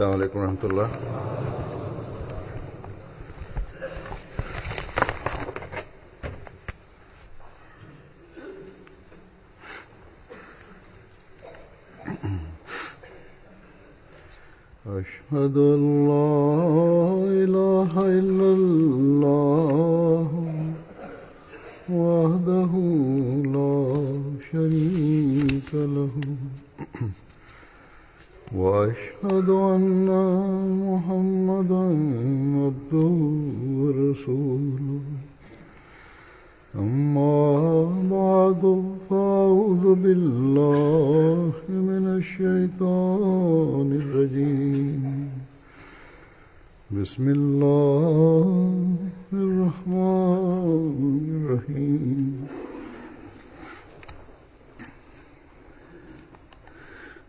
السلام عليكم ورحمة الله. أشهد أن لا إله إلا الله وحده لا شريك له وأشهد أن محمدا عبده ورسوله أما بعد فأعوذ بالله من الشيطان الرجيم بسم الله الرحمن الرحيم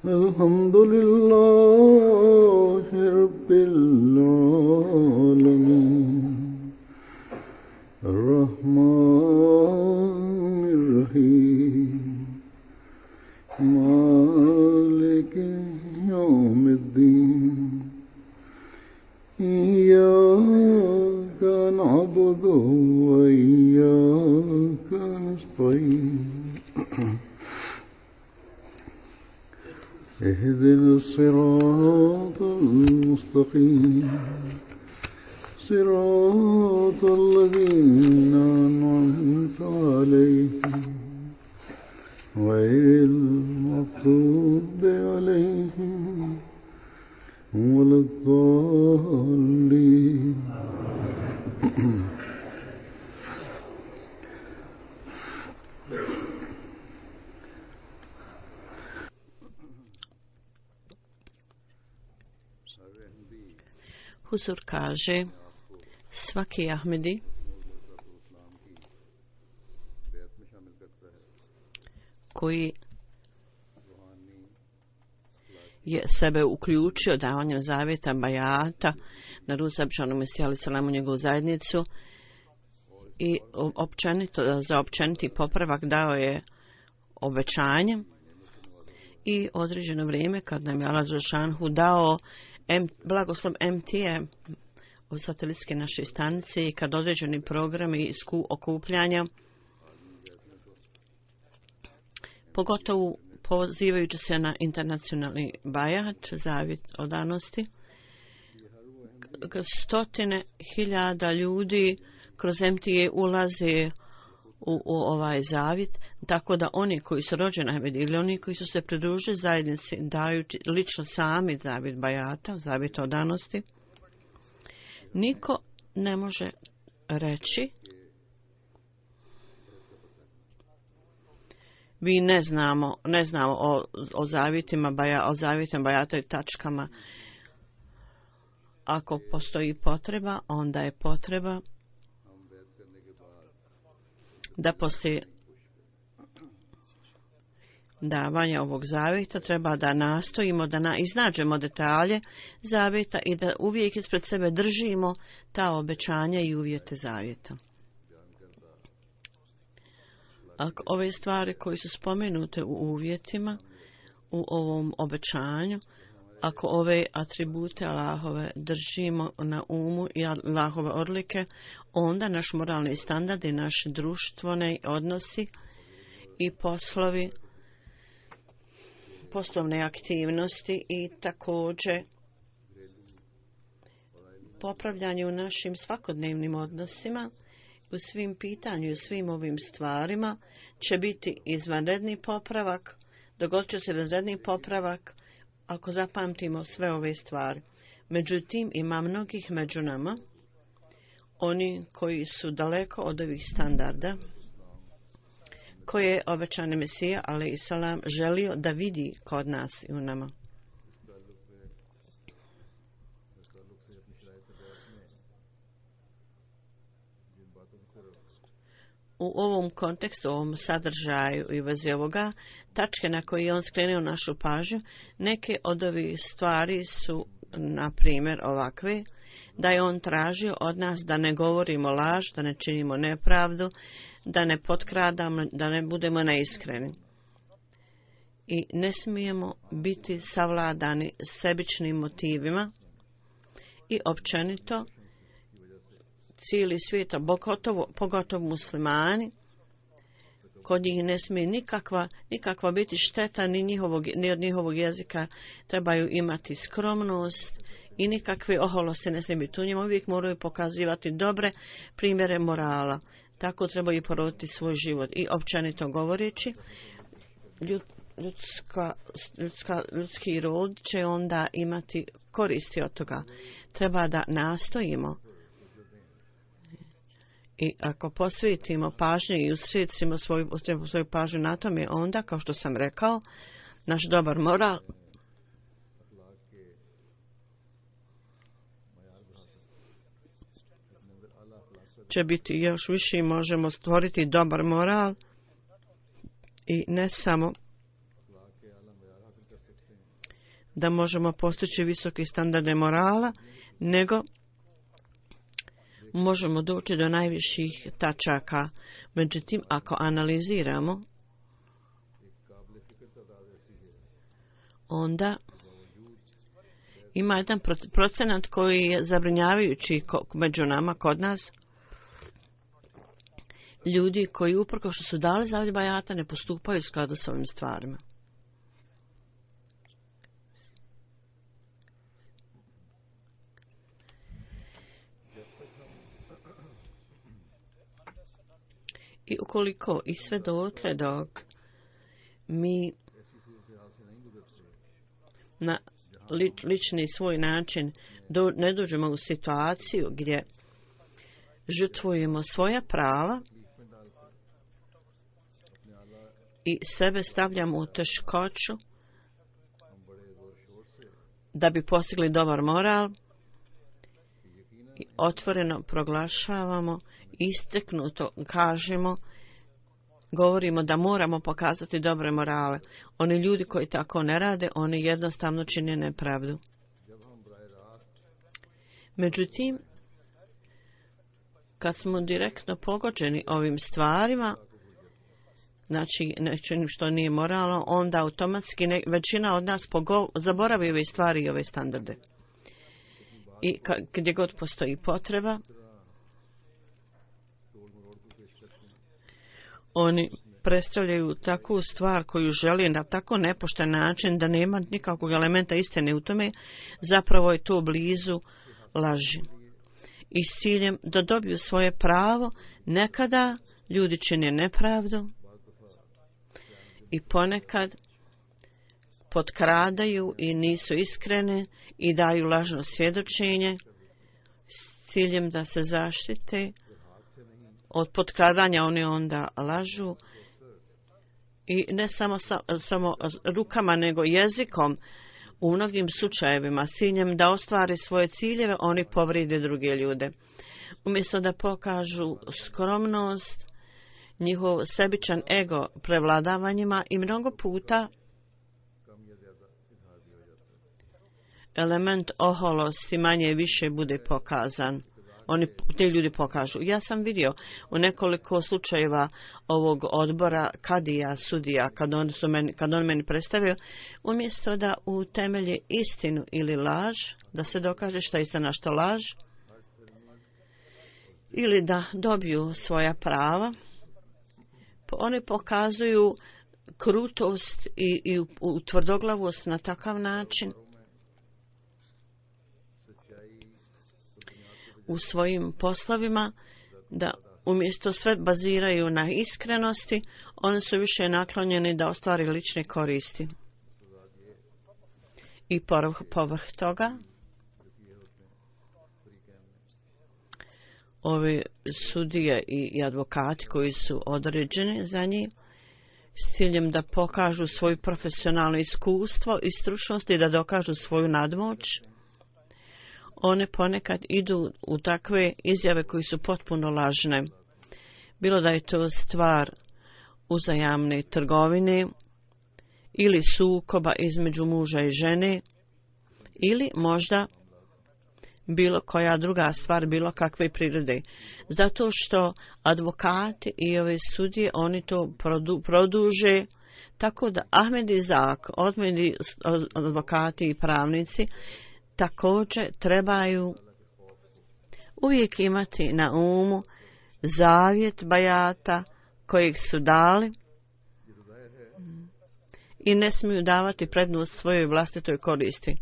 الحمد لله رب العالمين الرحمن الرحيم مالك يوم الدين إياك نعبد وإياك نستعين اهدنا الصراط المستقيم صراط الذين أنعمت عليهم غير المغضوب عليهم ولا الضالين. Huzur kaže, svaki Ahmedi koji je sebe uključio davanjem zavjeta bajata na Ruzabčanu Mesiju alejhi selam u njegovu zajednicu i općenito, za općeniti popravak dao je obećanje i određeno vrijeme kad nam je Allah dželešanohu dao blagoslov MTA od satelitske naše stanice i kad određeni programi okupljanja, pogotovo pozivajući se na internacionalni bajat, zavjet odanosti, stotine hiljada ljudi kroz MTA ulaze u ovaj zavjet, tako da oni koji su rođeni Ahmedi ili oni koji su se pridružili zajednici daju lično sami zavjet bajata, zavjet odanosti. Niko ne može reći vi ne znamo o zavjetima bajata i tačkama. Ako postoji potreba, onda je potreba da poslije davanja ovog zavjeta treba da nastojimo da iznađemo detalje zavjeta i da uvijek ispred sebe držimo ta obećanja i uvjete zavjeta. Ako ove stvari koje su spomenute u uvjetima, u ovom obećanju, ako ove atribute Allahove držimo na umu i Allahove odlike, onda naš moralni standard i naši društveni odnosi i poslovne aktivnosti i također popravljanje u našim svakodnevnim odnosima, u svim pitanju i u svim ovim stvarima će biti izvanredni popravak, dogodit će se izvanredni popravak ako zapamtimo sve ove stvari. Međutim, ima mnogih među nama, oni koji su daleko od ovih standarda, koje je obećani Mesija, alejhi selam, želio da vidi kod nas i u nama. U ovom kontekstu, u ovom sadržaju i vezi ovoga, tačke na koje je on skrenuo našu pažnju, neke od ovih stvari su, na primjer, ovakve, da je on tražio od nas da ne govorimo laž, da ne činimo nepravdu, da ne potkradamo, da ne budemo neiskreni. i ne smijemo biti savladani sebičnim motivima i općenito cijeli svijet, pogotovo muslimani, kod njih ne smije nikakva biti šteta ni od njihovog jezika, trebaju imati skromnost i nikakve oholosti ne smije biti u njima, uvijek moraju pokazivati dobre primjere morala. Tako trebaju poroditi svoj život i općenito govoreći ljudski rod će onda imati koristi od toga. Treba da nastojimo i ako posvetimo pažnju i usredsimo svoju pažnju na tome, onda, kao što sam rekao, naš dobar moral će biti još više i možemo stvoriti dobar moral i ne samo da možemo postići visoke standarde morala, nego možemo doći do najviših tačaka. Međutim, ako analiziramo, onda ima jedan procenat koji je zabrinjavajući među nama, kod nas, ljudi koji uprkos što su dali zavjet bajata ne postupaju u skladu s ovim stvarima. I ukoliko i sve dotle dok mi na lični svoj način ne dođemo u situaciju gdje žrtvujemo svoja prava i sebe stavljamo u teškoću da bi postigli dobar moral i otvoreno proglašavamo, istaknuto kažemo, govorimo da moramo pokazati dobre morale. Oni ljudi koji tako ne rade, oni jednostavno čine nepravdu. Međutim, kad smo direktno pogođeni ovim stvarima, znači nečim što nije moralno, onda automatski većina od nas zaboravi ove stvari i ove standarde. I gdje god postoji potreba, oni predstavljaju takvu stvar koju želi na tako nepošten način da nema nikakvog elementa istine u tome, zapravo je to blizu laži. I s ciljem da dobiju svoje pravo, nekada ljudi čine nepravdu i ponekad potkradaju i nisu iskrene i daju lažno svjedočenje s ciljem da se zaštite od potkradanja. Oni onda lažu i ne samo rukama nego jezikom u mnogim slučajevima s ciljem da ostvare svoje ciljeve, oni povride druge ljude. Umjesto da pokažu skromnost, njihov sebičan ego prevladavanjima i mnogo puta element oholosti manje više bude pokazan. Te ljudi pokažu. Ja sam vidio u nekoliko slučajeva ovog odbora kadija, sudija, kad on meni predstavio, umjesto da utemelje istinu ili laž, da se dokaže šta je istina, što laž, ili da dobiju svoja prava, oni pokazuju krutost i tvrdoglavost na takav način u svojim poslovima, da umjesto sve baziraju na iskrenosti, oni su više naklonjeni da ostvari lične koristi. I povrh toga, ovi sudije i advokati koji su određeni za njih, s ciljem da pokažu svoje profesionalno iskustvo i stručnost i da dokažu svoju nadmoć, one ponekad idu u takve izjave koji su potpuno lažne. Bilo da je to stvar uzajamne trgovine ili sukoba između muža i žene ili možda bilo koja druga stvar, bilo kakve prirode. Zato što advokati i ove sudije, oni to produže Tako da Ahmed Izak, advokati i pravnici također trebaju uvijek imati na umu zavjet bajata kojeg su dali i ne smiju davati prednost svojoj vlastitoj koristi.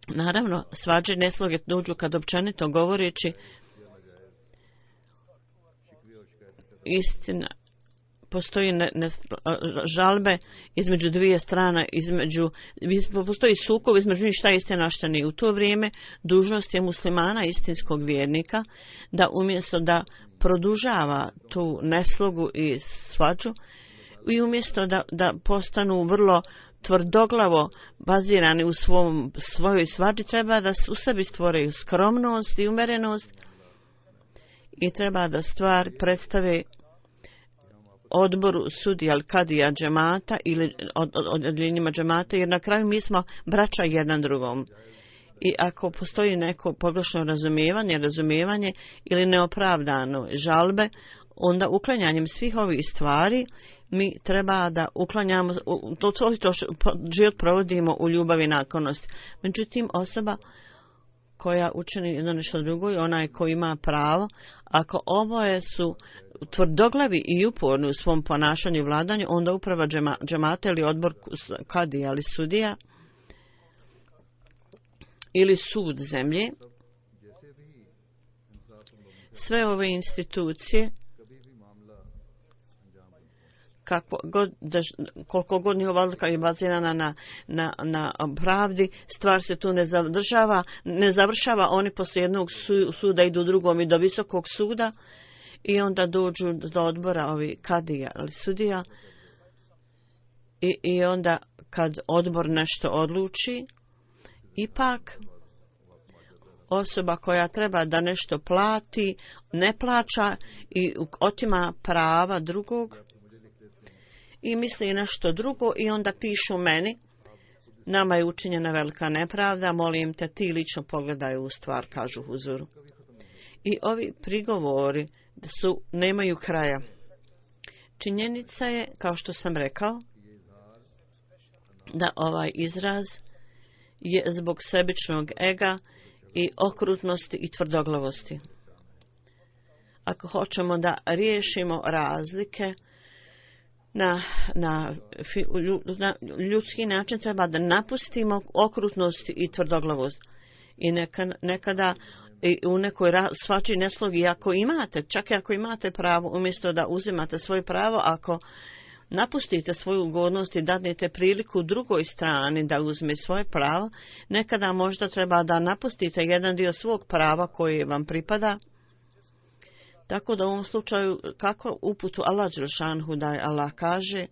Naravno, svađe nesloge dođu kad općenito govoreći istina, postoji žalbe između dvije strane, postoji sukob između njih šta je istina, a šta nije. U to vrijeme dužnost je muslimana, istinskog vjernika, da umjesto da produžava tu neslogu i svađu i umjesto da postanu vrlo tvrdoglavo bazirani u svojoj svađi, treba da u sebi stvoraju skromnost i umerenost i treba da stvar predstave odboru sudija al-kadija džemata ili odjeljenjima džemata, jer na kraju mi smo braća jedan drugom. I ako postoji neko pogrešno razumijevanje ili neopravdano žalbe, onda uklanjanjem svih ovih stvari mi treba da uklanjamo, to život provodimo u ljubavi i naklonosti. Međutim, osoba koja učini jedno nešto drugo i onaj ko ima pravo, ako oboje su tvrdoglavi i uporni u svom ponašanju i vladanju, onda uprava džemata ili odbor kadija ili sudija ili sud zemlje, sve ove institucije, koliko god njihova odluka je bazirana na pravdi, stvar se tu ne završava, oni poslije jednog suda idu drugom i do visokog suda i onda dođu do odbora ovi kadija ili sudija i onda kad odbor nešto odluči, ipak osoba koja treba da nešto plati, ne plaća i otima prava drugog i misli nešto drugo i onda pišu meni, nama je učinjena velika nepravda, molim te ti lično pogledaj u stvar, kažu huzuru. I ovi prigovori nemaju kraja. Činjenica je, kao što sam rekao, da ovaj izraz je zbog sebičnog ega i okrutnosti i tvrdoglavosti. Ako hoćemo da riješimo razlike na ljudski način, treba da napustimo okrutnost i tvrdoglavost. I nekada u nekoj svači neslogi, čak i ako imate pravo, umjesto da uzimate svoje pravo, ako napustite svoju ugodnost i dadnete priliku drugoj strani da uzme svoje pravo, nekada možda treba da napustite jedan dio svog prava koji vam pripada. Tako da u ovom slučaju, kako uputu Allah dželšanhu daje, Allah kaže: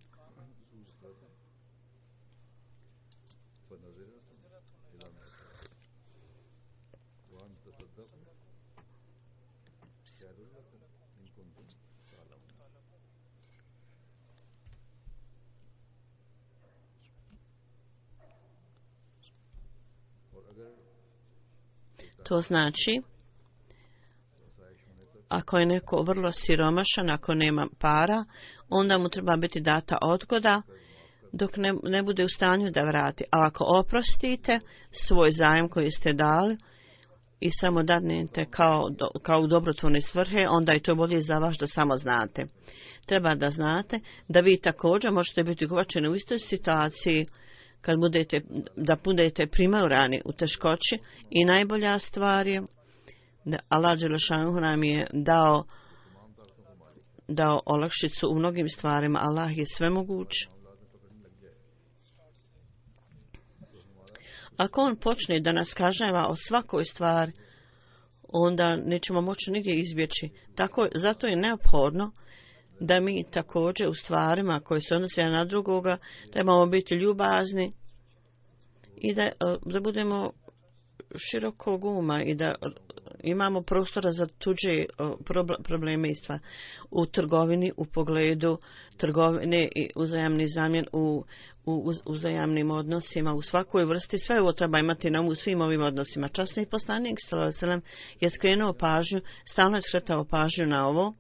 to znači, ako je neko vrlo siromašan, ako nema para, onda mu treba biti data odgoda dok ne bude u stanju da vrati. A ako oprostite svoj zajem koji ste dali i samo dadnete kao u dobrotvorne svrhe, onda je to bolje za vas da samo znate. Treba da znate da vi također možete biti uvačeni u istoj situaciji kad budete primorani u teškoći i najbolja stvar je da Allah dželešanu nam je dao olakšicu u mnogim stvarima. Allah je svemoguć. Ako on počne da nas kažnjava o svakoj stvari, onda nećemo moći nigdje izbjeći. Zato je neophodno da mi također u stvarima koje se odnose na drugoga trebamo biti ljubazni i da budemo širokog uma i da imamo prostora za tuđe probleme i stvari. U trgovini, u pogledu trgovine i uzajamni zamjen u uzajamnim odnosima, u svakoj vrsti, sve ovo treba imati na umu u svim ovim odnosima. Časni poslanik je skrenuo pažnju, stalno je skretao pažnju na ovo,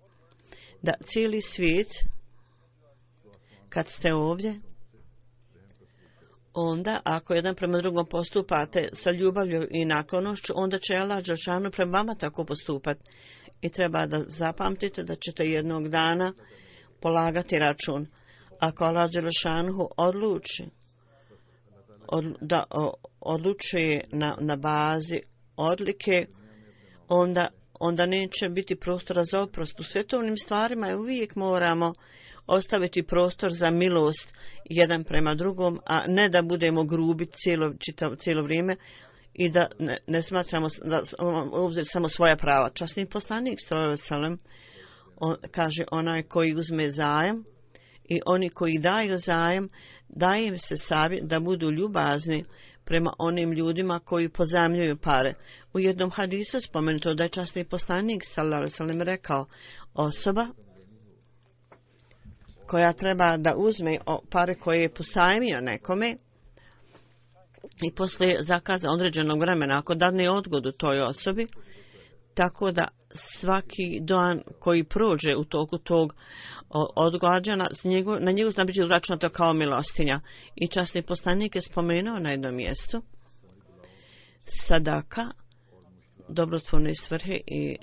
da cijeli svijet kad ste ovdje, onda ako jedan prema drugom postupate sa ljubavlju i naklonošću, onda će Allah dželešanu prema vama tako postupati. I treba da zapamtite da ćete jednog dana polagati račun. Ako Allah dželešanu odlučuje na bazi odlike, onda neće biti prostora za oprost. U svjetovnim stvarima uvijek moramo ostaviti prostor za milost jedan prema drugom, a ne da budemo grubi cijelo vrijeme i da ne smatramo da obzir samo svoja prava. Časni poslanik sallallahu kaže onaj koji uzme zajam i oni koji daju zajam, daje im se savjet da budu ljubazni prema onim ljudima koji pozajmljuju pare. U jednom hadisu spomenuto da je časni poslanik sallallahu rekao, osoba koja treba da uzme pare koje je posajmio nekome i poslije zakaza određenog vremena, ako dadne odgodu toj osobi, tako da svaki dan koji prođe u toku tog odgađana, na njegu zna biti uračunato kao milostinja. I časni poslanik je spomenuo na jednom mjestu sadaka, dobrotvorne svrhe i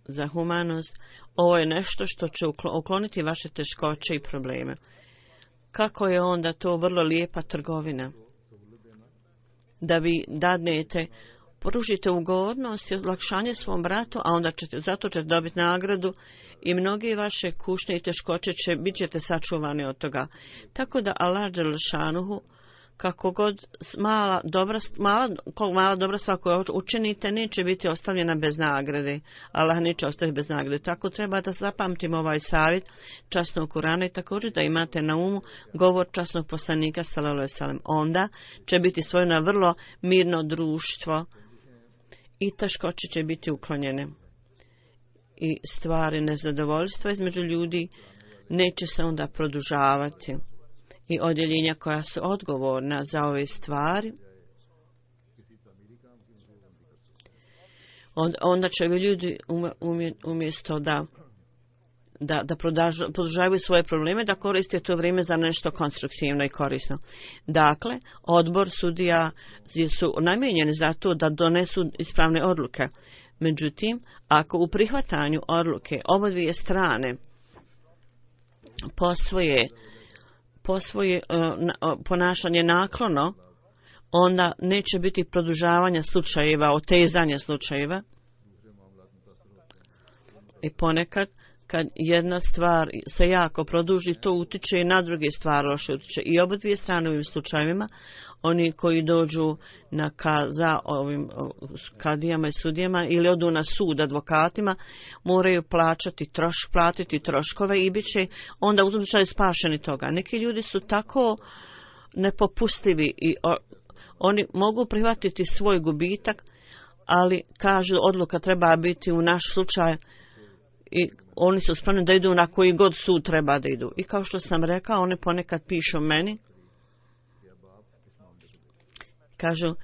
za humanost. Ovo je nešto što će ukloniti vaše teškoće i probleme. Kako je onda to vrlo lijepa trgovina? Da vi dadnete, pružite ugodnost i olakšanje svom bratu, a onda zato ćete dobiti nagradu i mnoge vaše kušnje i teškoće bit ćete sačuvani od toga. Tako da Allah dželešanu, kako god mala dobra stvar koju učinite, neće biti ostavljena bez nagrade. Allah neće ostaviti bez nagrade. Tako treba da zapamtimo ovaj savjet časnog Kurana i također da imate na umu govor časnog poslanika sallallahu alejhi ve sellem. Onda će biti stvoreno vrlo mirno društvo i teškoće će biti uklonjene. I stvari nezadovoljstva između ljudi neće se onda produžavati. I odjeljenja koja su odgovorna za ove stvari, onda će ljudi umjesto da produžavaju svoje probleme, da koriste to vrijeme za nešto konstruktivno i korisno. Dakle, odbor sudija su namijenjeni za to da donesu ispravne odluke. Međutim, ako u prihvatanju odluke obadvije strane posvoje ponašanje naklono, onda neće biti produžavanja slučajeva, otezanja slučajeva. I ponekad, kad jedna stvar se jako produži, to utiče i na druge stvari loše utiče. I oba dvije strane u ovim slučajevima, oni koji dođu za ovim kadijama i sudijama ili odu na sud advokatima, moraju platiti troškove i bit će onda u tom slučaju spašeni toga. Neki ljudi su tako nepopustljivi i oni mogu prihvatiti svoj gubitak, ali kažu odluka treba biti u naš slučaj i oni su spremni da idu na koji god sud treba da idu. I kao što sam rekao, oni ponekad pišu meni, kažu,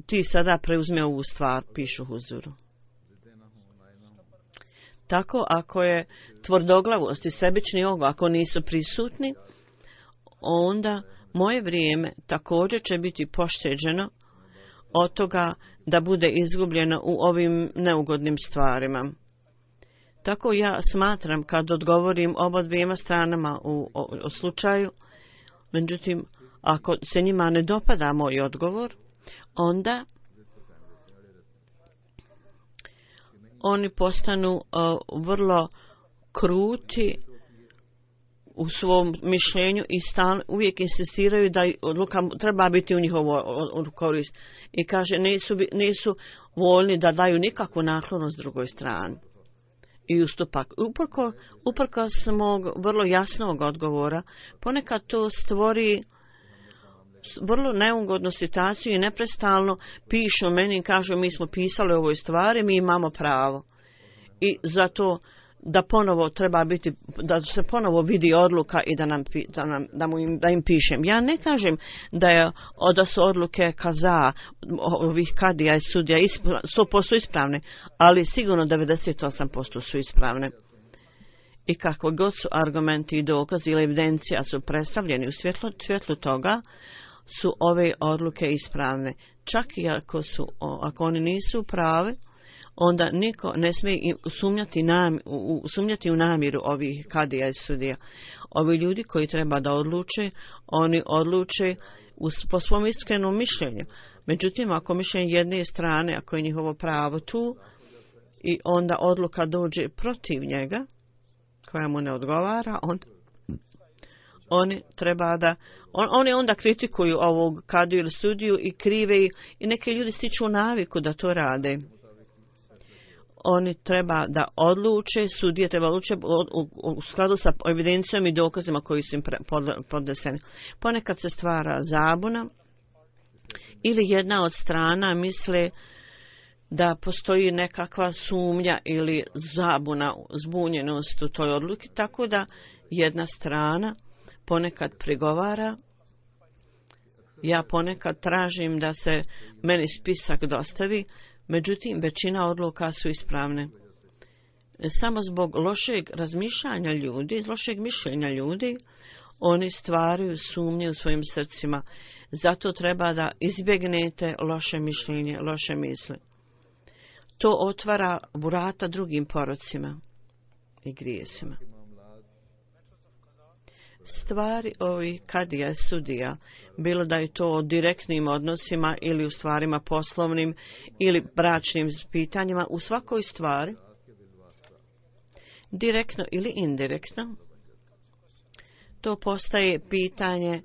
ti sada preuzme ovu stvar, pišu huzuru. Tako, ako je tvrdoglavost i sebični ego, ako nisu prisutni, onda moje vrijeme također će biti pošteđeno od toga da bude izgubljeno u ovim neugodnim stvarima. Tako ja smatram kad odgovorim oba dvijema stranama u slučaju, međutim, ako se njima ne dopada moj odgovor, onda oni postanu vrlo kruti u svom mišljenju i uvijek insistiraju da odluka treba biti u njihovu korist. I kaže, nisu voljni da daju nikakvu naklonost drugoj strani. I ustupak. Uprkos mog vrlo jasnog odgovora, ponekad to stvori vrlo neugodnu situaciju i neprestalno pišu meni i kažu mi smo pisali o ovoj stvari, mi imamo pravo. I zato da ponovo treba biti, da se ponovo vidi odluka i da im pišem. Ja ne kažem da su odluke kaza ovih kadija i sudija 100% ispravne, ali sigurno 98% su ispravne. i kakvo god su argumenti i dokazi ili evidencija su predstavljeni u svjetlu toga, su ove odluke ispravne. Čak i ako oni nisu prave, onda niko ne smije sumnjati u namjeru ovih kadija i sudija. Ovi ljudi koji treba da odluče, oni odluče po svom iskrenom mišljenju. Međutim, ako mišljenje jedne strane, ako je njihovo pravo tu, i onda odluka dođe protiv njega, koja mu ne odgovara, oni onda kritikuju ovog kadiju ili sudiju i krive i neki ljudi stiču naviku da to rade. Oni treba da odluče, sudije treba odluče u skladu sa evidencijom i dokazima koji su im podneseni. Ponekad se stvara zabuna ili jedna od strana misle da postoji nekakva sumnja ili zabuna, zbunjenost u toj odluki, tako da jedna strana ponekad prigovara. Ja ponekad tražim da se meni spisak dostavi, međutim većina odluka su ispravne. Samo zbog lošeg razmišljanja ljudi, lošeg mišljenja ljudi, oni stvaraju sumnje u svojim srcima. Zato treba da izbjegnete loše mišljenje, loše misli. To otvara vrata drugim porocima i grijesima. Stvari ovih kadija i sudija, bilo da je to o direktnim odnosima ili u stvarima poslovnim ili bračnim pitanjima, u svakoj stvari, direktno ili indirektno, to postaje pitanje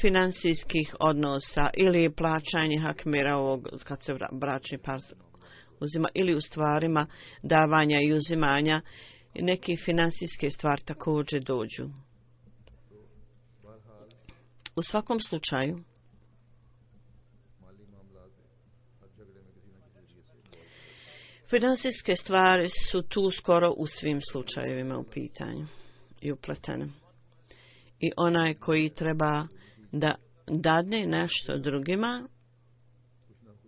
finansijskih odnosa ili plaćanje hakmira ovog, kad se bračni par uzima, ili u stvarima davanja i uzimanja, neke finansijske stvari također dođu. U svakom slučaju, finansijske stvari su tu skoro u svim slučajevima u pitanju i upletene. I onaj koji treba da dadne nešto drugima,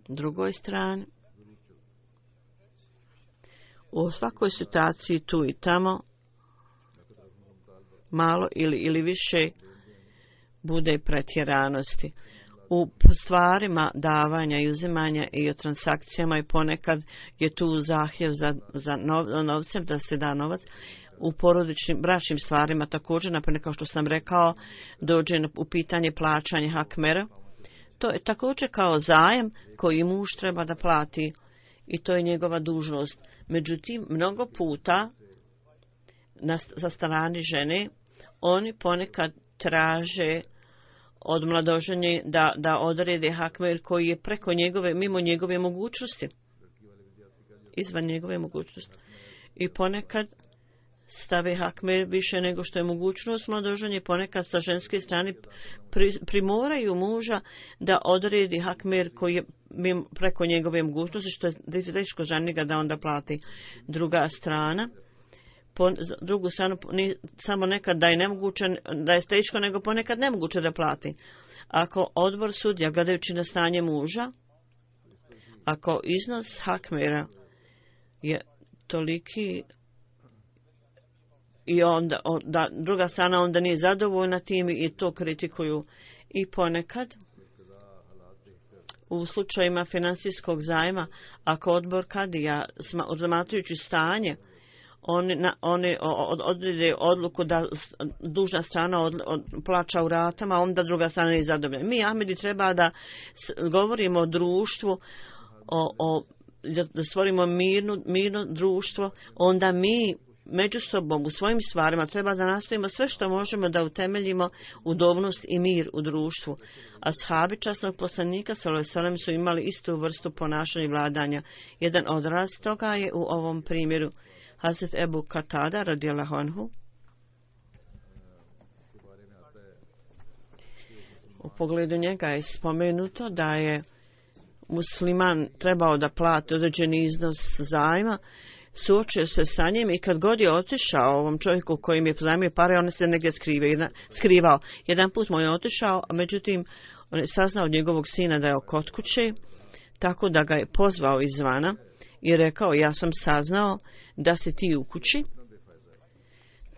drugoj strani, u svakoj situaciji tu i tamo, malo ili više, bude pretjeranosti. U stvarima davanja i uzimanja i o transakcijama i ponekad je tu zahtjev za novcem, da se da novac. U porodičnim, bračnim stvarima također, naprimjer, kao što sam rekao, dođe u pitanje plaćanja hakmera. To je također kao zajam koji muž treba da plati i to je njegova dužnost. Međutim, mnogo puta sa strane žene oni ponekad traže od mladoženje da odrede hakmer koji je preko njegove, mimo njegove mogućnosti, izvan njegove mogućnosti. I ponekad stave hakmer više nego što je mogućnost mladoženje, ponekad sa ženske strane primoraju muža da odredi hakmer koji je preko njegove mogućnosti, što je teško za njega da onda plati. Druga strana, drugu stranu, samo nekad da je nemoguće, da je teško, nego ponekad nemoguće da plati. Ako odbor sudija, gledajući na stanje muža, ako iznos hakmera je toliki i onda druga strana onda nije zadovoljna tim i to kritikuju. I ponekad u slučajima finansijskog zajma, ako odbor kadija, razmatrajući stanje, oni odrede odluku da dužna strana plaća u ratama, onda druga strana nije zadovoljna. Mi, Ahmedi, treba da govorimo o društvu, da stvorimo mirno društvo, onda mi među sobom u svojim stvarima treba da nastavimo sve što možemo da utemeljimo udobnost i mir u društvu. Ashabi časnog poslanika sallallahu su imali istu vrstu ponašanja i vladanja. Jedan odraz toga je u ovom primjeru Hazret Ebu Katada radijallahu anhu. U pogledu njega je spomenuto da je musliman trebao da plati određeni iznos zajma, suočio se sa njim i kad god je otišao ovom čovjeku kojim je pozajmio pare, on se negdje skrivao. Jedan put mu je otišao, a međutim on je saznao od njegovog sina da je kod kuće, tako da ga je pozvao izvana i rekao, ja sam saznao da si ti u kući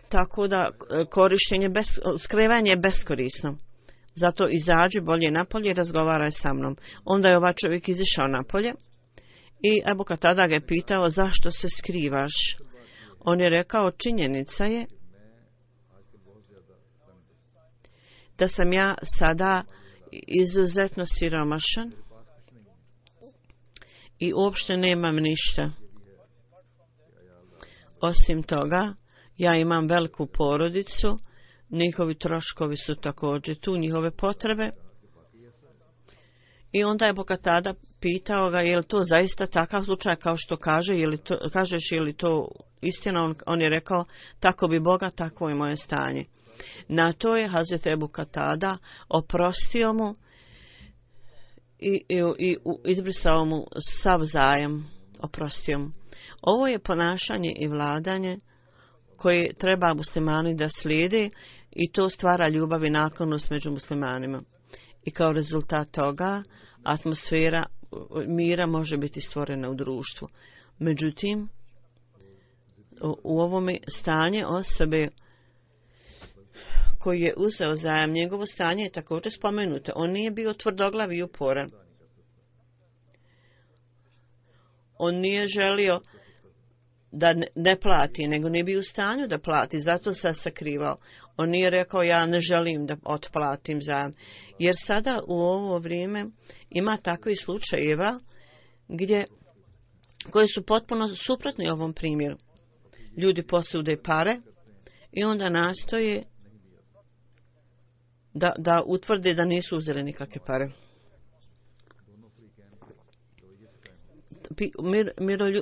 tako da korištenje, skrivanje je beskorisno. Zato izađi bolje napolje i razgovaraj sa mnom. Onda je ovaj čovjek izišao napolje i Ebu Katada ga je pitao zašto se skrivaš. On je rekao činjenica je da sam ja sada izuzetno siromašan i uopšte nemam ništa. Osim toga, ja imam veliku porodicu, njihovi troškovi su također tu, njihove potrebe. I onda je Bokatada pitao ga je li to zaista takav slučaj kao što kaže, kažeš je li to istina, on je rekao tako bi Boga, takvo je moje stanje. Na to je Hazret Ebu Katada oprostio mu i izbrisao mu sav zajam, oprostio mu. Ovo je ponašanje i vladanje koje treba muslimani da slijede i to stvara ljubav i naklonost među muslimanima. I kao rezultat toga atmosfera mira može biti stvorena u društvu. Međutim, u ovome stanje osobe koji je uzeo zajam, njegovo stanje je također spomenuto. On nije bio tvrdoglav i uporan. On nije želio da ne plati, nego nije bio u stanju da plati, zato se sakrivao. On nije rekao ja ne želim da otplatim zajam. Jer sada u ovo vrijeme ima takvih slučajeva koji su potpuno suprotni ovom primjeru. Ljudi posude pare i onda nastoje da utvrde da nisu uzeli nikakve pare.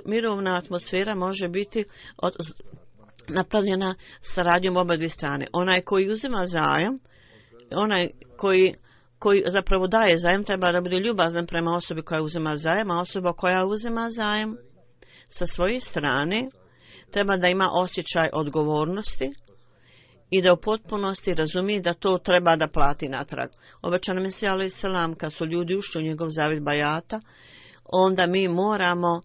Mirovna atmosfera može biti napravljena saradnjom oba dvije strane. Onaj koji uzima zajam, onaj koji zapravo daje zajam, treba da bude ljubazan prema osobi koja uzima zajam, a osoba koja uzima zajam sa svoje strane treba da ima osjećaj odgovornosti i da u potpunosti razumije da to treba da plati natrag. Obećano Mesija alejhi selam, kad su ljudi ušli u njegov zavjet bajata, onda mi moramo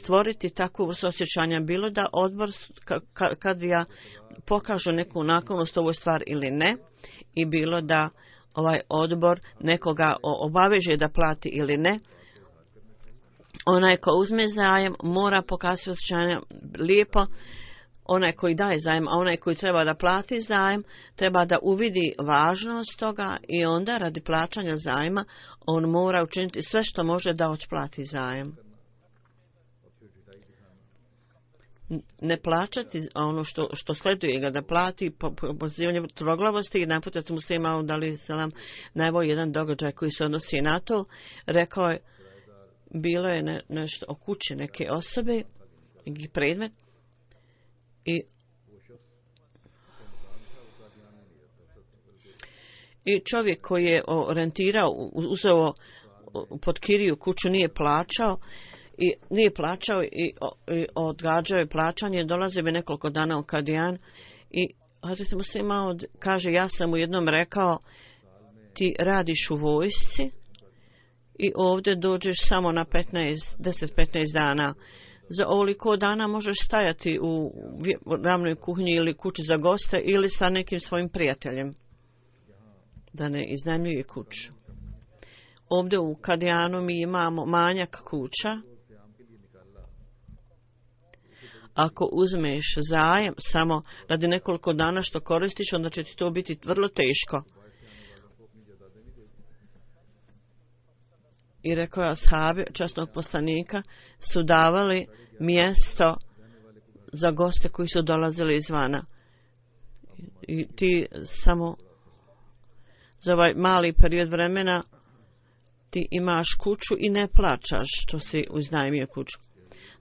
stvoriti takvu vrstu osjećanja, bilo da odbor kad ja pokažu neku naklonost ovoj stvar ili ne, i bilo da ovaj odbor nekoga obaveže da plati ili ne. Onaj ko uzme zajam mora pokazati osjećanje lijepo, onaj koji daje zajam, a onaj koji treba da plati zajam treba da uvidi važnost toga i onda radi plaćanja zajma on mora učiniti sve što može da otplati zajam. Ne plaćati ono što sleduje ga da plati pozivanje tvrdoglavosti i naputet muslima dali selam najbolji jedan događaj koji se odnosi na to. Rekao je, bilo je nešto o kući neke osobe, neki predmet i čovjek koji je rentirao, uzeo pod kiriju kuću, nije plaćao i odgađao je plaćanje, dolazio bi nekoliko dana u Kadijan i Hazret Muslih Maud kaže, ja sam u jednom rekao, ti radiš u vojsci i ovdje dođeš samo na 10-15 dana. Za ovoliko dana možeš stajati u ravnoj kuhinji ili kući za goste ili sa nekim svojim prijateljem da ne iznajmljuje kuću. Ovdje u Kadijanu mi imamo manjak kuća. Ako uzmeš zajam samo radi nekoliko dana što koristiš, onda će ti to biti vrlo teško. I rekao je ashabi časnog poslanika su davali mjesto za goste koji su dolazili izvana. I ti samo za ovaj mali period vremena ti imaš kuću i ne plaćaš što si uznajmio kuću.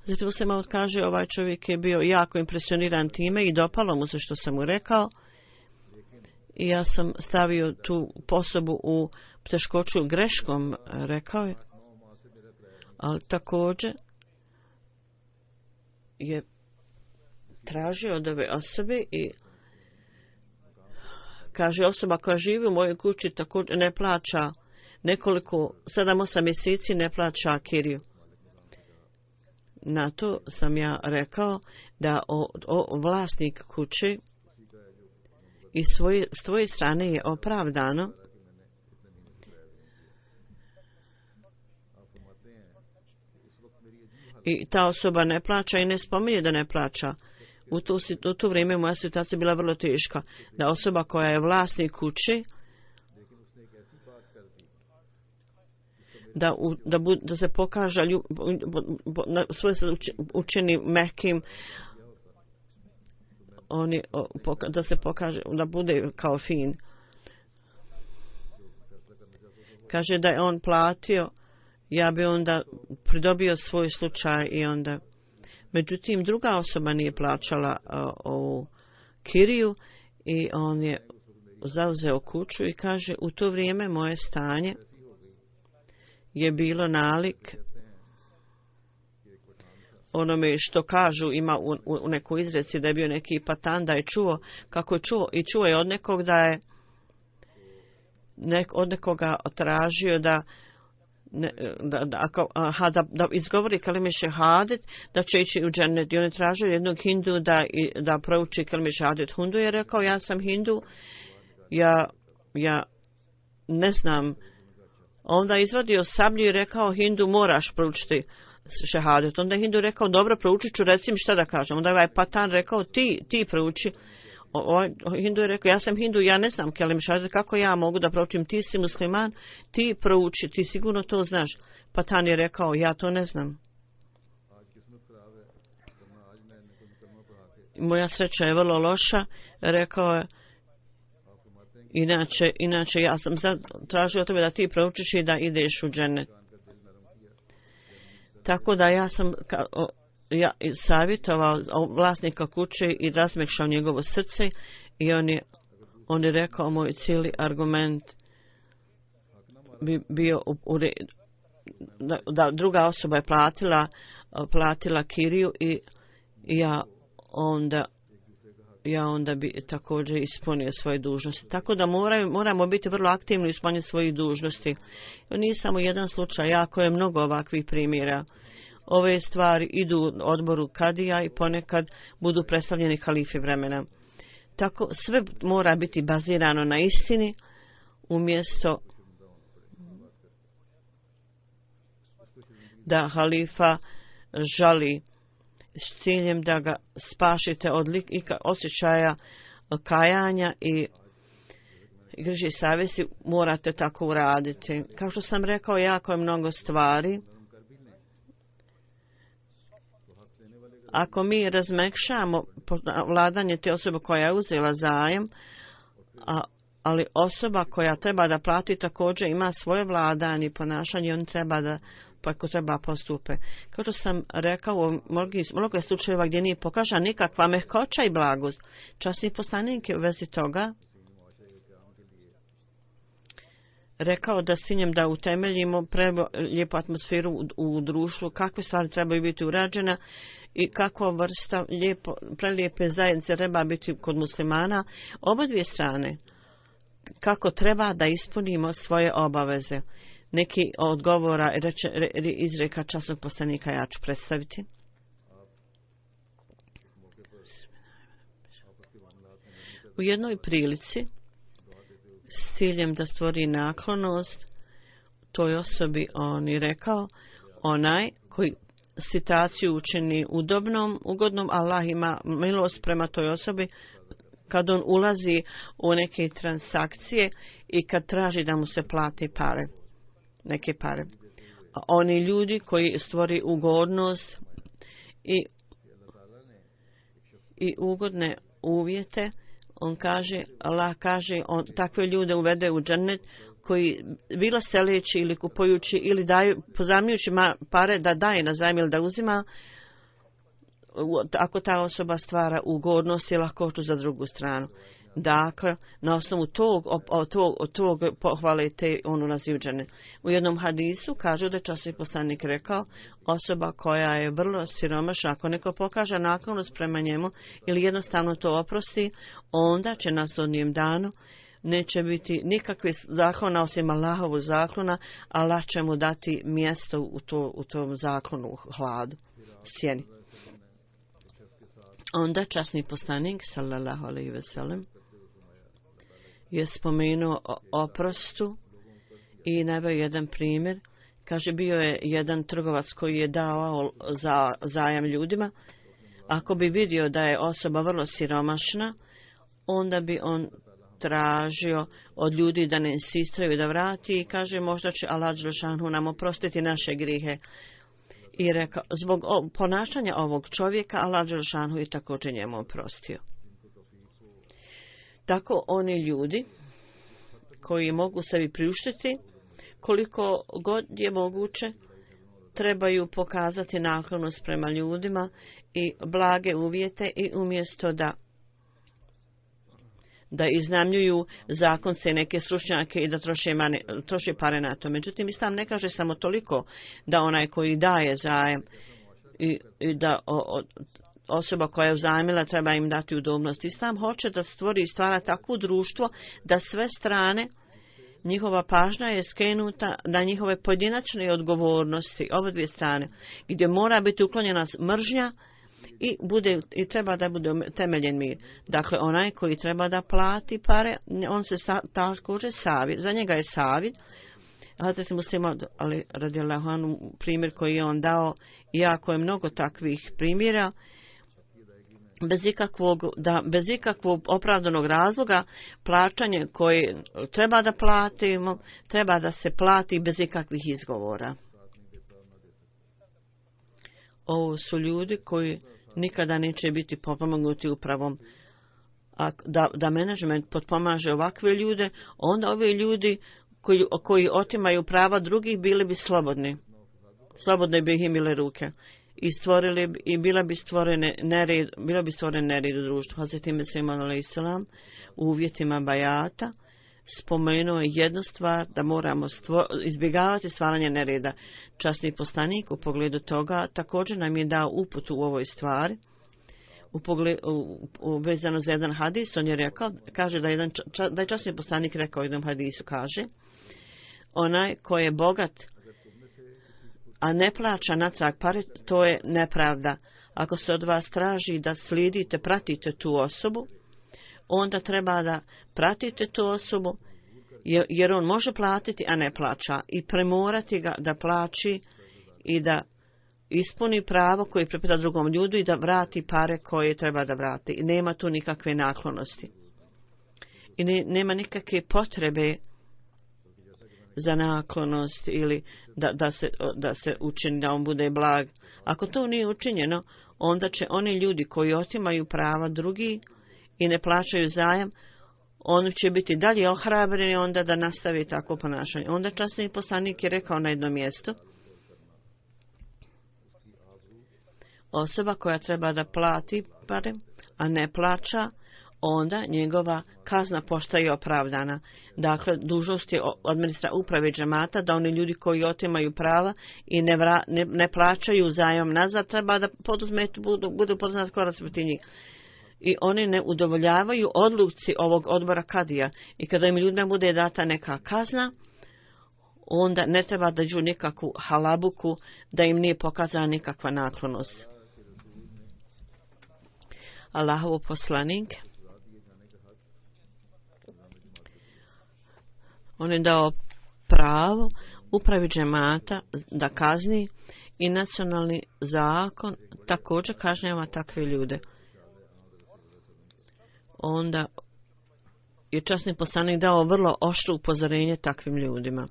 Zatim se malo kaže, ovaj čovjek je bio jako impresioniran time i dopalo mu se što sam mu rekao. I ja sam stavio tu osobu u teškoću greškom, rekao je. Ali također je tražio od ove osobe i kaže, osoba koja živi u mojoj kući također ne plaća nekoliko, 7-8 mjeseci ne plaća kiriju. Na to sam ja rekao da vlasnik kuće i s tvoje strane je opravdano i ta osoba ne plaća i ne spominje da ne plaća. U to vrijeme moja situacija bila vrlo teška. Da osoba koja je vlasnik kuće da se pokaže svoje se učini mehkim, da se pokaže, da bude kao fin. Kaže da je on platio, ja bi onda pridobio svoj slučaj i onda. Međutim, druga osoba nije plaćala ovu kiriju i on je zauzeo kuću i kaže u to vrijeme moje stanje je bilo nalik onome što kažu, ima u nekoj izreci da je bio neki patan, da je čuo kako je čuo i čuo je od nekog da je od nekoga tražio da izgovori kalime šehadet, da će ići u džennet. I on je tražio jednog hindu da prouči kalime šehadet. Hindu je rekao, ja sam hindu, ja ne znam. Onda je izvadio sablju i rekao, hindu moraš proučiti šehadet. Onda je hindu rekao, dobro, proučit ću, reci mi šta da kažem. Onda je ovaj patan rekao, ti prouči. Hindu je rekao, ja sam hindu, ja ne znam kelim šehadet, kako ja mogu da proučim, ti si musliman, ti prouči, ti sigurno to znaš. Patan je rekao, ja to ne znam. Moja sreća je vrlo loša, rekao je, inače ja sam tražio od tebe da ti proučiš i da ideš u džennet. Tako da ja sam savjetovao vlasnika kuće i razmekšao njegovo srce i on je rekao, moj cijeli argument bi bio da druga osoba je platila kiriju i ja onda bi također ispunio svoje dužnosti. Tako da moramo biti vrlo aktivni u ispunjenju svojih dužnosti. Nije samo jedan slučaj, jako je mnogo ovakvih primjera. Ove stvari idu odboru kadija i ponekad budu predstavljeni halifi vremena. Tako sve mora biti bazirano na istini umjesto da halifa žali s ciljem da ga spašite od osjećaja kajanja i griže savjesti, morate tako uraditi. Kao što sam rekao, jako je mnogo stvari. Ako mi razmekšamo vladanje te osobe koja je uzela zajem, ali osoba koja treba da plati također ima svoje vladanje i ponašanje, on treba da ako treba postupe. Kao što sam rekao, u mnogo slučajeva gdje nije pokažena nikakva mehkoća i blagost. Časni poslanik je u vezi toga rekao da s ciljem da utemeljimo lijepu atmosferu u društvu, kakve stvari trebaju biti urađene i kakva vrsta prelijepe zajednice treba biti kod muslimana, oba dvije strane, kako treba da ispunimo svoje obaveze. Neki odgovora izreka časnog poslanika ja ću predstaviti. U jednoj prilici s ciljem da stvori naklonost toj osobi on je rekao, onaj koji situaciju učini ugodnom, Allah ima milost prema toj osobi kad on ulazi u neke transakcije i kad traži da mu se plati neke pare. Oni ljudi koji stvori ugodnost i ugodne uvjete, Allah kaže, on takve ljude uvede u džennet koji bilo seleći ili kupujući ili pozajmljujući pare da daje na zajam ili da uzima, ako ta osoba stvara ugodnost i lahkoću za drugu stranu. Dakle, na osnovu tog pohvale te onu naziv džennet. U jednom hadisu kažu da je časni poslanik rekao, osoba koja je vrlo siromašna, ako neko pokaže naklonost prema njemu ili jednostavno to oprosti, onda će na sudnjem danu neće biti nikakve zaklona osim Allahovu zaklona, Allah će mu dati mjesto u tom zaklonu, u hladu, sjeni. Onda časni poslanik, sallallahu alejhi ve sellem, je spomenuo o oprostu i naveo jedan primjer. Kaže, bio je jedan trgovac koji je dao zajam ljudima. Ako bi vidio da je osoba vrlo siromašna, onda bi on tražio od ljudi da ne insistiraju da vrati i kaže, možda će Allah dželešanu nam oprostiti naše grijehe. I rekao, zbog ponašanja ovog čovjeka Allah dželešanu je također njemu oprostio. Tako oni ljudi koji mogu sebi priuštiti koliko god je moguće, trebaju pokazati naklonost prema ljudima i blage uvjete i umjesto da iznajmljuju zakonce neke stručnjake i da troše pare na to. Međutim, Islam ne kaže samo toliko da onaj koji daje zajem i da osoba koja je uzajmila treba im dati udobnost. Islam hoće da stvori i stvara takvo društvo da sve strane njihova pažnja je skrenuta na njihove pojedinačne odgovornosti, oba dvije strane, gdje mora biti uklonjena mržnja i treba da bude temeljen mir. Dakle, onaj koji treba da plati pare, on se također savjet, za njega je savjet. Hazret Muslima, ali radijallahu anhu, primjer koji je on dao, jako je mnogo takvih primjera, bez ikakvog opravdanog razloga plaćanje koje treba da platimo, treba da se plati bez ikakvih izgovora. Ovo su ljudi koji nikada neće biti potpomognuti upravom. Da menadžment potpomaže ovakve ljude, onda ovi ljudi koji otimaju prava drugih bili bi slobodni. Slobodno bi ih imile ruke. I bila bi stvorene nered u društvu. Hazreti Mesih a.s. u uvjetima bajata spomenuo je jednu stvar, da moramo izbjegavati stvaranje nereda. Časni poslanik u pogledu toga također nam je dao uputu u ovoj stvari. Vezano za jedan hadis, on je rekao, kaže da je časni poslanik rekao u jednom hadisu, kaže, onaj ko je bogat a ne plaća natrag pare, to je nepravda. Ako se od vas traži da slijedite, pratite tu osobu, onda treba da pratite tu osobu, jer on može platiti, a ne plaća. I premorati ga da plaći i da ispuni pravo koje pripada drugom ljudu i da vrati pare koje treba da vrati. I nema tu nikakve naklonosti. I nema nikakve potrebe za naklonost ili da se učini da on bude blag. Ako to nije učinjeno, onda će oni ljudi koji otimaju prava drugi i ne plaćaju zajam, oni će biti dalje ohrabreni onda da nastavi tako ponašanje. Onda časni poslanik je rekao na jednom mjestu, osoba koja treba da plati pare, a ne plaća, onda njegova kazna postaje opravdana. Dakle, dužnost je administra uprave džemata da oni ljudi koji otimaju prava i ne plaćaju zajam nazad, treba da budu poznati korac protiv njih. I oni ne udovoljavaju odluci ovog odbora kadija. I kada im ljudima bude data neka kazna, onda ne treba dađu nikakvu halabuku, da im nije pokazana nikakva naklonost. Allahov poslanik, on je dao pravo upravi džemata da kazni i nacionalni zakon također kažnjava takve ljude. Onda je časni poslanik dao vrlo oštro upozorenje takvim ljudima.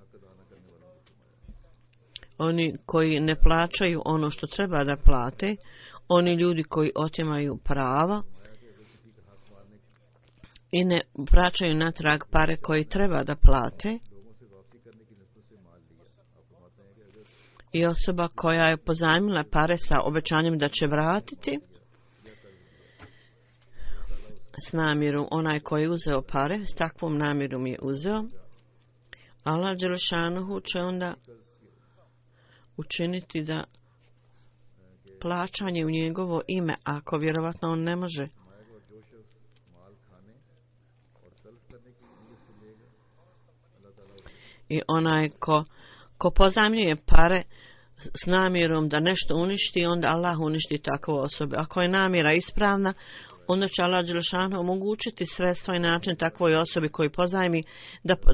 Oni koji ne plaćaju ono što treba da plate, oni ljudi koji otimaju prava i ne vraćaju natrag pare koji treba da plate, i osoba koja je pozajmila pare sa obećanjem da će vratiti s namjerom, onaj koji je uzeo pare, s takvom namjerom je uzeo, Allah dželešanuhu će onda učiniti da plaćanje u njegovo ime, ako vjerovatno on ne može, i onaj ko pozajmljuje pare s namjerom da nešto uništi, onda Allah uništi takvu osobu. Ako je namjera ispravna, onda će Allah dželešanu omogućiti sredstva i način takvoj osobi koji pozajmi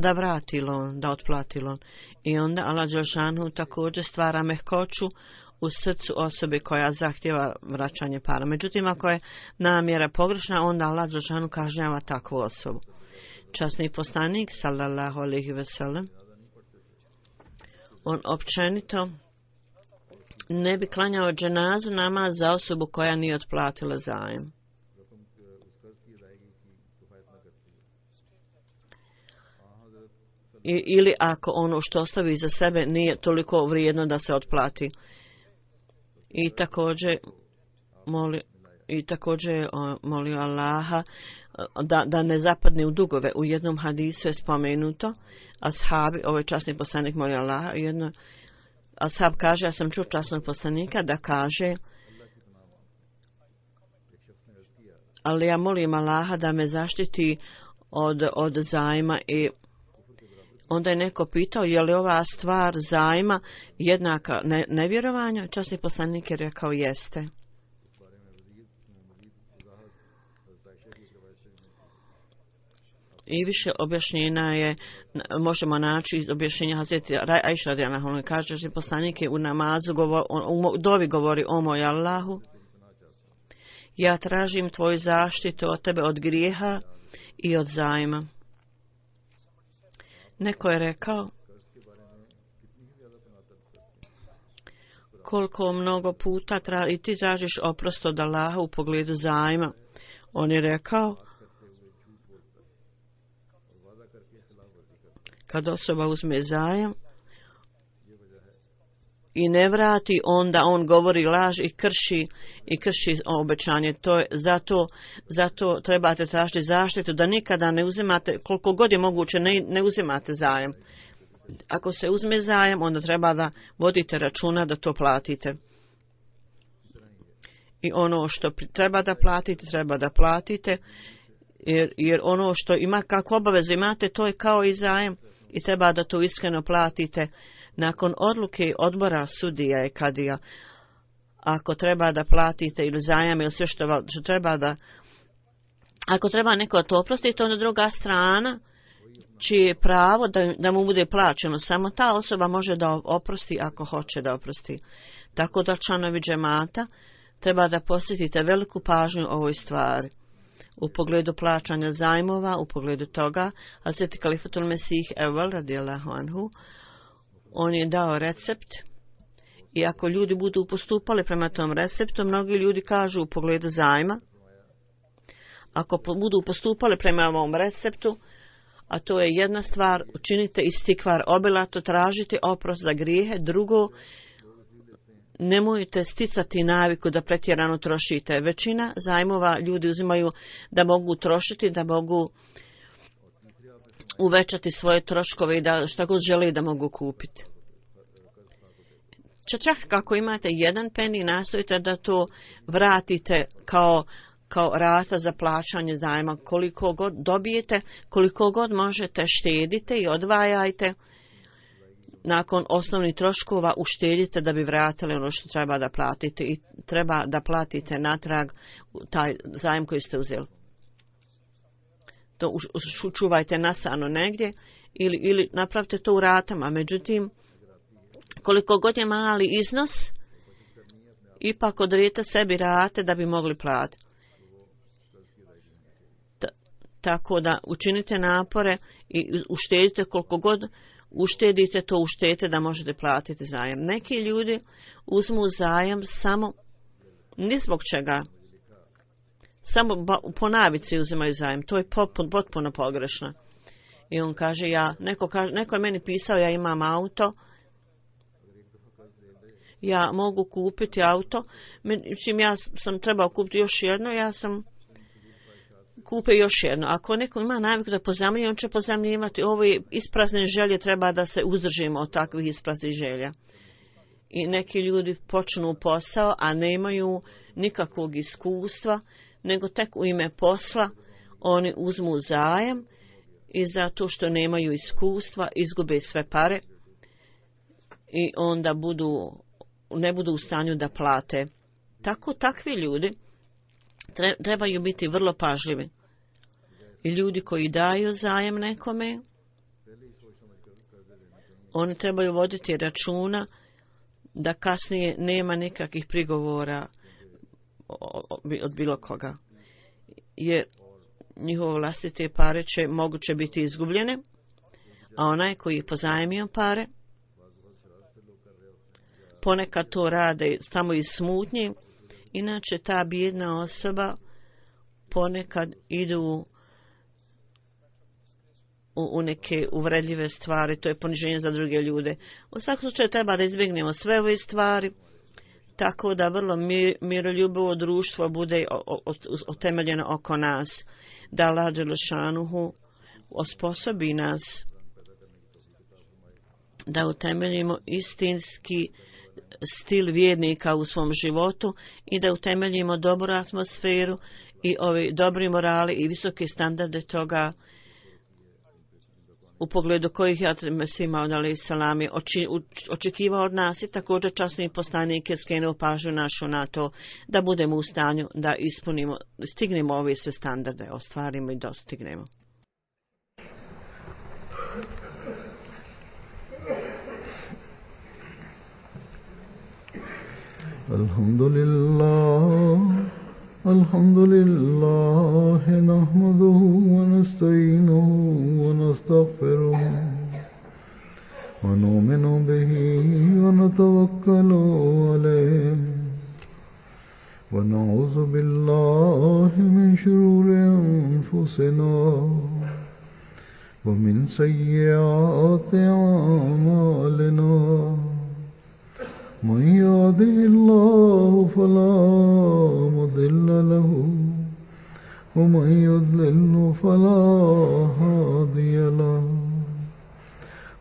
da vrati loan, da otplati loan. I onda Allah dželešanu također stvara mehkoću u srcu osobe koja zahtjeva vraćanje para. Međutim, ako je namjera pogrešna, onda Allah dželešanu kažnjava takvu osobu. Časni poslanik sallallahu alejhi ve sellem, on općenito ne bi klanjao dženazu namaz za osobu koja nije otplatila zajem. Ili ako ono što ostavi iza sebe nije toliko vrijedno da se otplati. I također molio Allaha da ne zapadne u dugove. U jednom hadisu je spomenuto, ashabi, ovaj časni poslanik molio Allaha, ashab kaže, ja sam čuo časnog poslanika da kaže, ali ja molim Allaha da me zaštiti od zajma. I onda je neko pitao, je li ova stvar zajma jednaka nevjerovanju? Časni poslanik je rekao, jeste. I više objašnjenja je, možemo naći objašnjenja Hazreti Ajša radijallahu anha, kaže že poslanik je u namazu u dovi govori, o moj Allahu, ja tražim tvoju zaštitu od tebe od grijeha i od zajma. Neko je rekao, koliko mnogo puta i ti tražiš oprost od Allaha u pogledu zajma. On je rekao, kad osoba uzme zajam i ne vrati, onda on govori laž i krši obećanje. To je zato trebate tražiti zaštitu da nikada ne uzimate, koliko god je moguće, ne uzimate zajam. Ako se uzme zajam, onda treba da vodite računa da to platite. I ono što treba da platite, jer ono što ima kako obavezu imate, to je kao i zajam. I treba da to iskreno platite nakon odluke odbora sudija i kadija. Ako treba da platite ili zajam ili sve što treba da... Ako treba neko to oprostiti, onda druga strana čije je pravo da mu bude plaćeno. Samo ta osoba može da oprosti ako hoće da oprosti. Tako da članovi džemata treba da posvetite veliku pažnju ovoj stvari. U pogledu plaćanja zajmova, u pogledu toga, Hazreti Kalifatul Mesih Evvel radijallahu anhu, on je dao recept i ako ljudi budu postupali prema tom receptu, mnogi ljudi kažu u pogledu zajma, ako budu postupali prema ovom receptu, a to je jedna stvar, učinite istikvar obilato, tražite oprost za grijehe, drugo, nemojte sticati naviku da pretjerano trošite. Većina zajmova ljudi uzimaju da mogu trošiti, da mogu uvećati svoje troškove i da šta god žele da mogu kupiti. Čak kako imate jedan peni, nastojite da to vratite kao rata za plaćanje zajma. Koliko god dobijete, koliko god možete, štedite i odvajajte. Nakon osnovnih troškova uštedite da bi vratili ono što treba da platite i treba da platite natrag taj zajem koji ste uzeli. To čuvajte nasano negdje ili napravite to u ratama. Međutim, koliko god je mali iznos, ipak odredite sebi rate da bi mogli platiti. Tako da učinite napore i uštedite koliko god uštedite, to uštedite da možete platiti zajam. Neki ljudi uzmu zajam samo ni zbog čega. Samo po navici uzimaju zajam. To je potpuno pogrešno. I on kaže, neko je meni pisao, ja imam auto, ja mogu kupiti auto, čim ja sam trebao kupiti još jedno, ja sam kupe još jedno. Ako neko ima naviku da pozajmljuje, on će pozajmljivati. Ove isprazne želje treba da se uzdržimo od takvih ispraznih želja. I neki ljudi počnu posao, a nemaju nikakvog iskustva, nego tek u ime posla oni uzmu zajam i zato što nemaju iskustva izgube sve pare i onda ne budu u stanju da plate. Takvi ljudi trebaju biti vrlo pažljivi. I ljudi koji daju zajem nekome, oni trebaju voditi računa da kasnije nema nikakvih prigovora od bilo koga. Jer njihove vlastite pare će moguće biti izgubljene, a onaj koji je pozajmio pare, ponekad to rade samo iz smutnje, inače ta bijedna osoba ponekad idu u neke uvredljive stvari, to je poniženje za druge ljude. U svakom slučaju treba da izbjegnemo sve ove stvari, tako da vrlo miroljubivo društvo bude otemeljeno oko nas, da Allah dželešanuhu osposobi nas da utemeljimo istinski stil vjernika u svom životu i da utemeljimo dobru atmosferu i ovi dobri morali i visoke standarde toga u pogledu kojih je Mesih Maud alejselam očekivao od nas i također časni poslanik je skrenuo pažnju našu na to da budemo u stanju da ispunimo, stignemo ove sve standarde, ostvarimo i dostignemo. Alhamdulillah nahmaduhu wa nasta'inuhu wa nastaghfiruh wa nu'minu bihi wa natawakkalu alayhi wa na'udhu billahi min shururi anfusina wa min sayyiati a'malina. من يهده الله فلا مضل له ومن يضلل فلا هادي له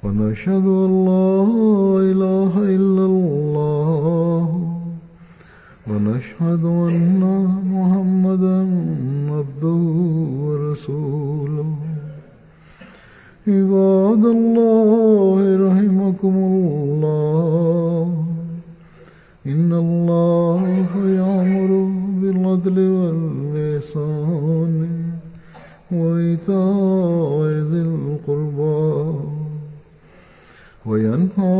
ونشهد أن لا إله إلا الله ونشهد أن محمدا عبده ورسوله. عباد الله رحمكم الله إن الله يأمر بالعدل والإحسان وإيتاء ذي القربى وينهى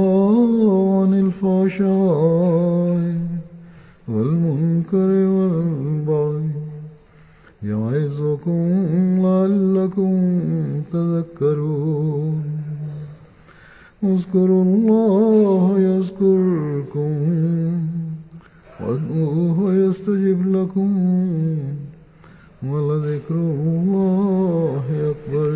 عن الفحشاء والمنكر والبغي يعظكم لعلكم تذكرون. اذكروا الله يذكركم وادعوه يستجب لكم ولذكر الله أكبر.